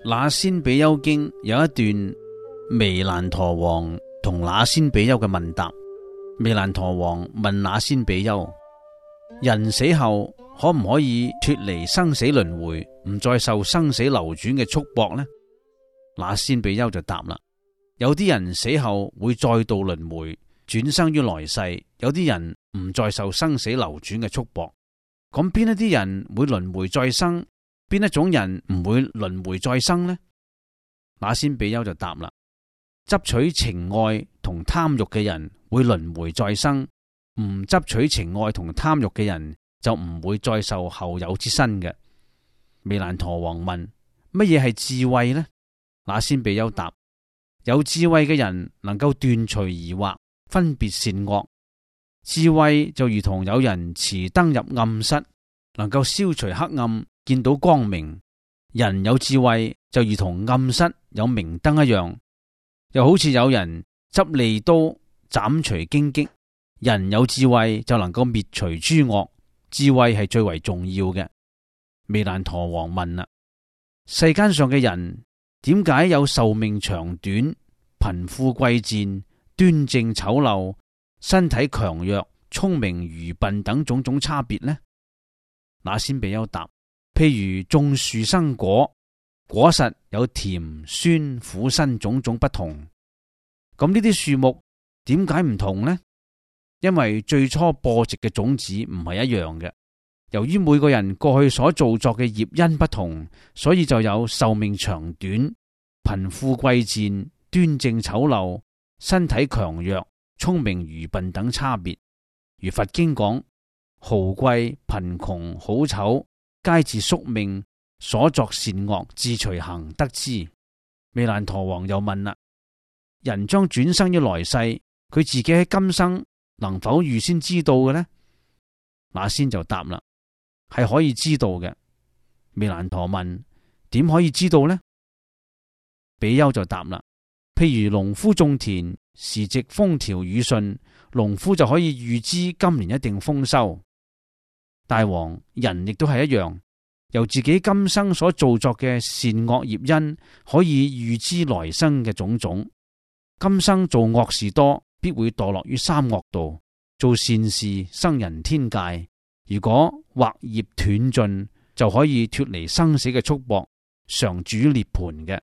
那仙比丘經有一段彌蘭陀王同那仙比丘嘅問答。彌蘭陀王問那仙比丘：人死後可唔可以脫離生死輪迴，唔再受生死流轉嘅束縛呢？那仙比丘就答啦：有啲人死後會再度輪迴，轉生於來世；有啲人唔再受生死流轉嘅束縛。咁邊一啲人會輪迴再生？邊一種人唔會輪迴再生呢？那仙比丘就答啦：執取情愛同貪欲嘅人會輪迴再生，唔執取情愛同貪欲嘅人就唔會再受後有之身嘅。彌蘭陀王問：乜嘢係智慧呢？那仙比丘答：有智慧嘅人能夠斷除疑惑，分別善惡。智慧就如同有人持燈入暗室，能夠消除黑暗，見到光明。人有智慧就如同暗室有明燈一樣，又好似有人執利刀斬除荊棘。人有智慧就能夠滅除諸惡，智慧係最為重要嘅。彌蘭陀王問啦：世間上嘅人點解有壽命長短、貧富貴賤、端正醜陋、身體強弱、聰明愚笨等種種差別呢？那仙比丘答：譬如種樹生果，果實有甜、酸、苦、辛種種不同。咁呢啲樹木點解唔同呢？因為最初播植嘅種子唔係一樣嘅。由於每個人過去所造作嘅業因不同，所以就有壽命長短、貧富貴賤、端正醜陋、身體強弱、聰明愚笨等差別。如佛經講：豪貴貧窮好醜，皆自宿命所作善惡自隨行得之。彌蘭陀王又問啦：人將轉生於來世，佢自己喺今生能否預先知道嘅呢？那仙就答啦：係可以知道嘅。彌蘭陀問：點可以知道呢？比丘就答啦：譬如農夫種田，時值風調雨順，農夫就可以預知今年一定豐收。大王，人亦都係一樣，由自己今生所造作嘅善惡業因，可以預知來生嘅種種。今生做惡事多，必會墮落於三惡道；做善事生人天界。如果惑業斷盡，就可以脫離生死嘅束縛，常住涅槃嘅。